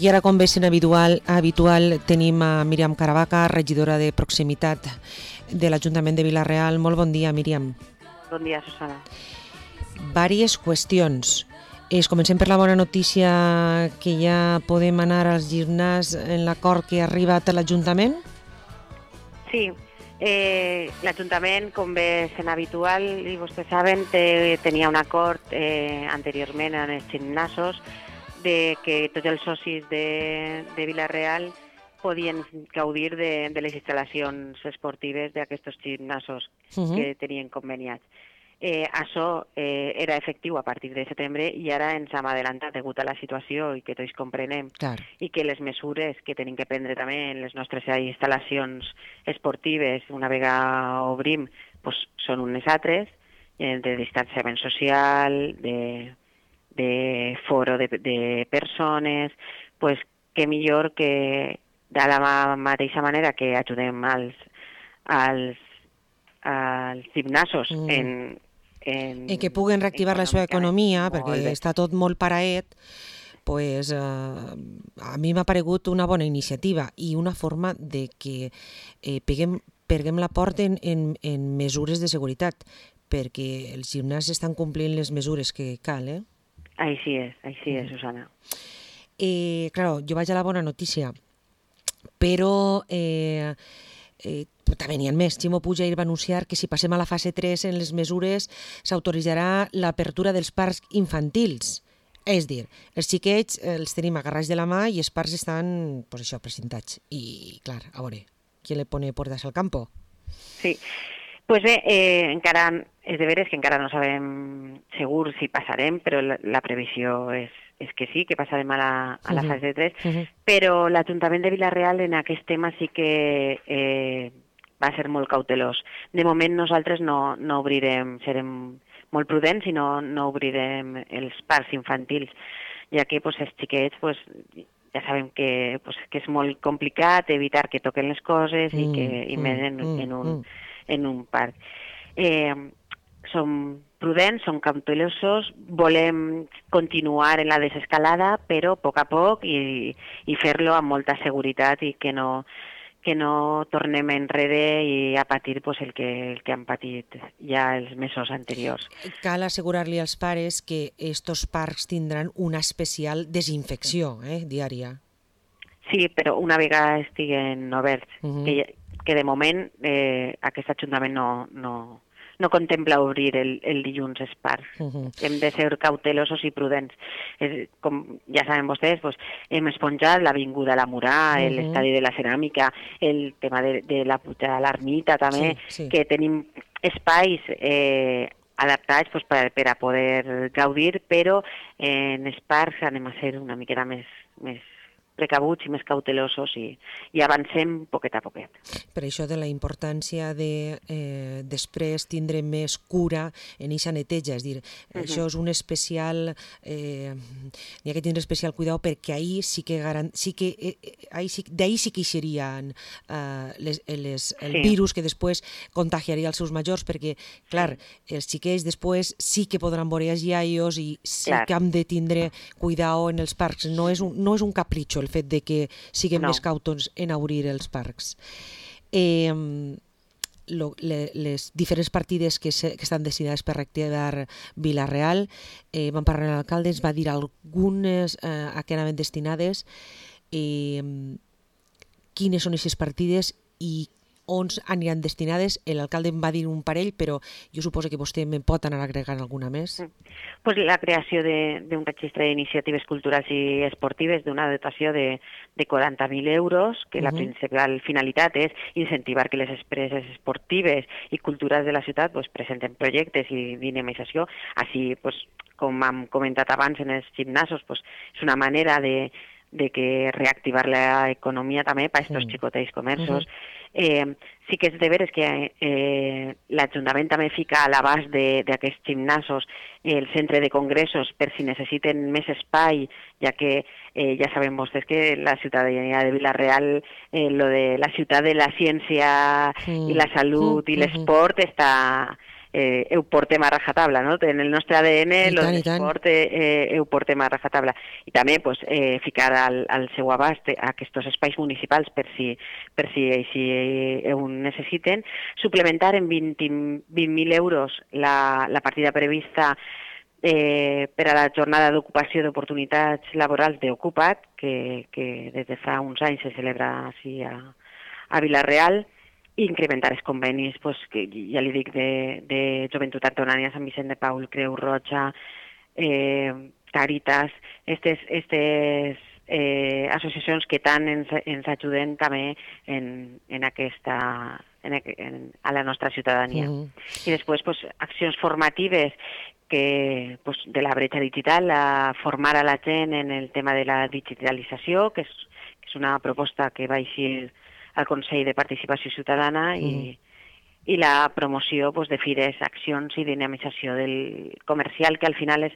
I ara, com bé sent habitual, tenim a Míriam Caravaca, regidora de proximitat de l'Ajuntament de Vila-real. Molt bon dia, Míriam. Bon dia, Susana. Vàries qüestions. Comencem per la bona notícia que ja podem anar als gimnàs en l'acord que ha arribat a l'Ajuntament? Sí, l'Ajuntament, com bé sent habitual, i vostès saben, tenia un acord anteriorment en els gimnasos de que tots els socis de Vila-real podien gaudir de les instal·lacions esportives d'aquests gimnasos que tenien conveniats. Això era efectiu a partir de setembre i ara ens hem adelantat degut a la situació i que tots comprenem. Clar. I que les mesures que tenim que prendre també en les nostres instal·lacions esportives, una vegada obrim, doncs són unes altres, de distanciament social, de foro de persones, doncs que millor que de la mateixa manera que ajudem als gimnasos en que puguen reactivar la seva economia, perquè està tot molt paraet, pues, a mi m'ha paregut una bona iniciativa i una forma de que peguem la porta en mesures de seguretat, perquè els gimnasos estan complint les mesures que cal, Així és, Susana. Claro, jo vaig a la bona notícia, però també n'hi ha més. Ximo Puig va anunciar que si passem a la fase 3 en les mesures s'autoritzarà l'apertura dels parcs infantils. És dir, els xiquets els tenim agarrats de la mà i els parcs estan, pues això, presentats. I, clar, a veure, qui le pone puertas al campo? Sí, pues bé, encara és de veres que encara no sabem segur si passarem, però la previsió és que sí, que passarem a la fase 3, però l'Ajuntament de Vila-real en aquest tema sí que va ser molt cautelós. De moment nosaltres no obrirem, serem molt prudents i no obrirem els parcs infantils, ja que els xiquets ja sabem que és molt complicat evitar que toquen les coses i més en un parc. Som prudents, som cautelosos, volem continuar en la desescalada, però a poc i fer-lo amb molta seguretat i que no tornem enrere i a patir el que han patit ja els mesos anteriors. Cal assegurar-li als pares que estos parcs tindran una especial desinfecció diària. Sí, però una vegada estiguen oberts, que de moment aquest Ajuntament no contempla obrir el dilluns els parcs. Hem de ser cautelosos i prudents. Com ja saben vostès, hem esponjat l'Avinguda La Murà, l'Estadi de la Ceràmica, el tema de la pujada a l'Ermita també, que tenim espais adaptats per a poder gaudir, però en els parcs anem a ser una miqueta més precabuts i més cautelosos i avancem poquet a poquet. Per això de la importància de després tindre més cura en aquesta neteja, és dir, això és un especial, n'hi ha que tindre especial cuidado perquè ahir sí que d'ahir sí que serien el virus que després contagiaria els seus majors, perquè, clar, els xiquets després sí que podran veure els iaios i sí que hem de tindre cuidado en els parcs, no és un capritxo el fet de que siguem més cautos en obrir els parcs. Les diferents partides que estan destinades per reactivar Vila-real, vam parlar amb l'alcalde, ens va dir algunes a què anaven destinades, quines són aquestes partides i on aniran destinades. L'alcalde em va dir un parell, però jo suposo que vostè me'n pot anar agregant alguna més. La creació d'un registre d'iniciatives culturals i esportives d'una dotació de 40.000 euros, que la principal finalitat és incentivar que les empreses esportives i culturals de la ciutat presenten projectes i dinamització. Així, com hem comentat abans en els gimnasos, és una manera de reactivar l'economia també per a aquests xicotets comerços. Sí que és de veres que l'Ajuntament també fica a l'abast d'aquests gimnasos el centre de congressos per si necessiten més espai, ja que ja sabem vostès que la ciutadania de Vila-real, lo de la ciutat de la ciència i la salut i l'esport està ho portem a rajatabla, no? En el nostre ADN l'esport ho portem a rajatabla. I també pues, ficar al seu abast aquests espais municipals per si així ho necessiten, suplementar en 20.000 euros la partida prevista per a la jornada d'ocupació d'oportunitats laborals d'Ocupa't, que des de fa uns anys se celebra així a Vila-real, i incrementar els convenis, pues, que ja li dic, de Joventut Antonània, Sant Vicent de Paul, Creu Roja, Càritas, aquestes associacions que tant ens ajuden també a la nostra ciutadania. I després pues, accions formatives que, pues, de la bretxa digital, a formar a la gent en el tema de la digitalització, que és una proposta que va eixir al Consell de Participació Ciutadana i la promoció pues, de fires, accions i dinamització del comercial, que al final és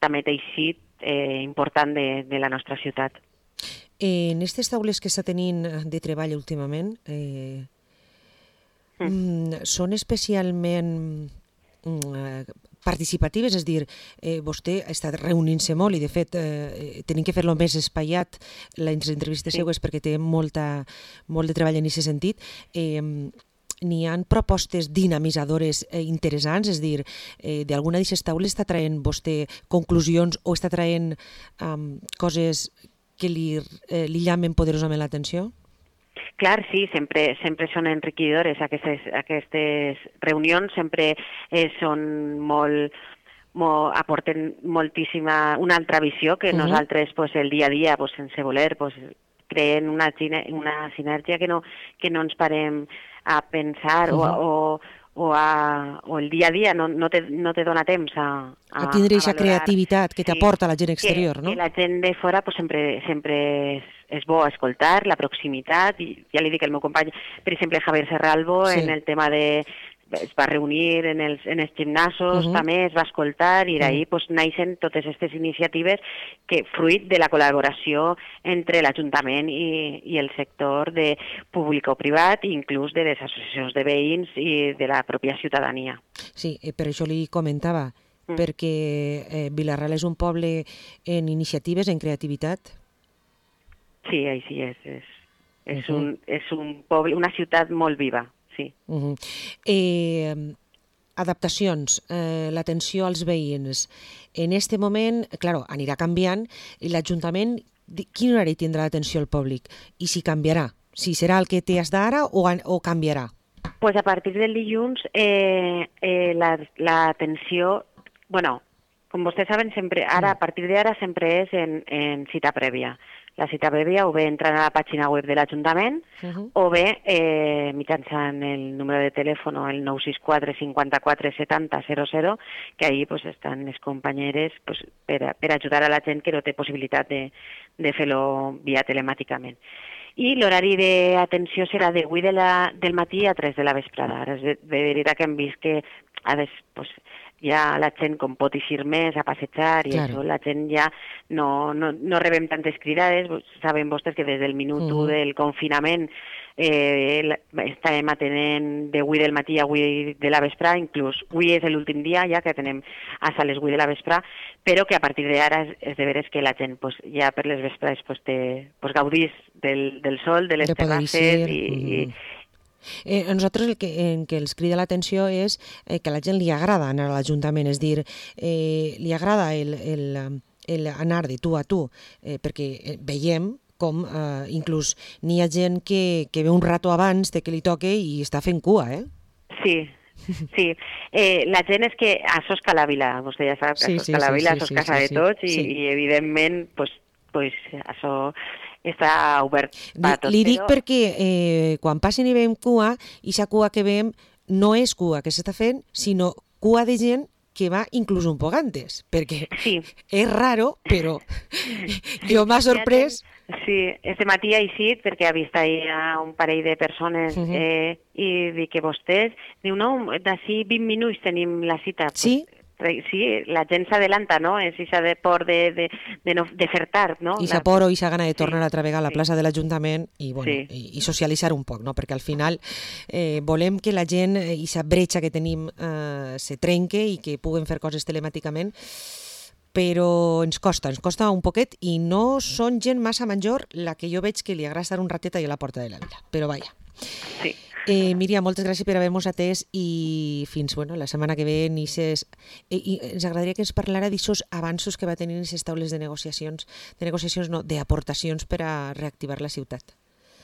també teixit important de la nostra ciutat. En aquestes taules que està tenint de treball últimament, són especialment participatives, és a dir, vostè ha estat reunint-se molt i de fet tenim que fer-lo més espaiat les entrevistes seues perquè té molt de treball en aquest sentit. N'hi ha propostes dinamitzadores interessants, és a dir, d'alguna d'aquestes taules està traient vostè conclusions o està traient coses que li llamen poderosament l'atenció? Clar, sí, sempre són enriquidores aquestes reunions, sempre són aporten moltíssima, una altra visió que nosaltres pues, el dia a dia, pues, sense voler, pues, creen una sinergia que no ens parem a pensar o el dia a dia no te dona temps a tindre aquesta creativitat que t'aporta la gent exterior, no? Que la gent de fora pues, sempre és bo escoltar, la proximitat, i ja li dic el meu company, per exemple, Javier Serralbo, en el tema es va reunir en els gimnasos, també es va escoltar, i d'ahir pues, naixen totes aquestes iniciatives que fruit de la col·laboració entre l'Ajuntament i el sector de públic o privat, inclús de les associacions de veïns i de la pròpia ciutadania. Sí, per això li comentava, perquè Vila-real és un poble en iniciatives, en creativitat. Sí, així és. És un poble, una ciutat molt viva. Sí. Adaptacions, l'atenció als veïns. En aquest moment, clar, anirà canviant, i l'Ajuntament, quin horari tindrà l'atenció al públic? I si canviarà? Si serà el que té d'ara o canviarà? Pues a partir del dilluns, l'atenció, bueno, com vostès saben, sempre, ara, a partir d'ara sempre és en cita prèvia. La cita prèvia o bé entrant a la pàgina web de l'Ajuntament o bé mitjançant el número de telèfon el 964 54 70 00, que ahir pues, estan les companyeres pues, per ajudar a la gent que no té possibilitat de fer-lo via telemàticament. I l'horari d'atenció serà de 8 del matí a 3 de la vesprada. És de veritat que hem vist que pues, ja la gent com pot eixir més a passejar i això, la gent ja no rebem tantes cridades. Saben vostès que des del minut 1 del confinament estàvem atenent de 8 del matí a 8 de la vesprà, inclús avui és l'últim dia ja que atenem a les 8 de la vesprà, però que a partir d'ara és de veres que la gent pues, ja per les vesprades pues, gaudís del sol, de les terrasses i a nosaltres el que els crida l'atenció és que a la gent li agrada anar a l'Ajuntament, és dir, li agrada anar de tu a tu, perquè veiem com inclús n'hi ha gent que ve un rato abans de que li toque i està fent cua, Sí. Sí, la gent és que això és Calavila, vostè ja sap que això és Calavila, això és casa de tots i evidentment pues això està obert per a tots. Li dic perquè quan passen i veiem cua, i aquesta cua que veiem no és cua que s'està fent, sinó cua de gent que va inclús un poc antes, perquè és raro, però jo m'ha sorprès. Sí, este matí ha eixit perquè ha vist ahir un parell de persones i dic que vostès, diu no, d'ací 20 minuts tenim la cita. Sí. sí, la gent s'adelanta, no? És això de por de fer tard, no? I sa por o sa gana de tornar Sí, altra vegada a la plaça de l'Ajuntament i, bueno, Sí. i socialitzar un poc, no? Perquè al final volem que la gent, sa bretxa que tenim se trenque i que puguen fer coses telemàticament, però ens costa un poquet i no són gent massa major la que jo veig que li agrada estar un ratet allà a la porta de la vila, però vaja. Sí. Míriam, moltes gràcies per haver-nos atès i fins la setmana que ve i ens agradaria que ens parlara d'aixòs avanços que va tenir en aquestes taules d'aportacions per a reactivar la ciutat.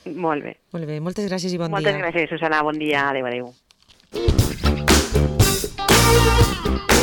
Molt bé. Molt bé, moltes gràcies i bon dia. Moltes gràcies, Susana. Bon dia. Adéu, adéu.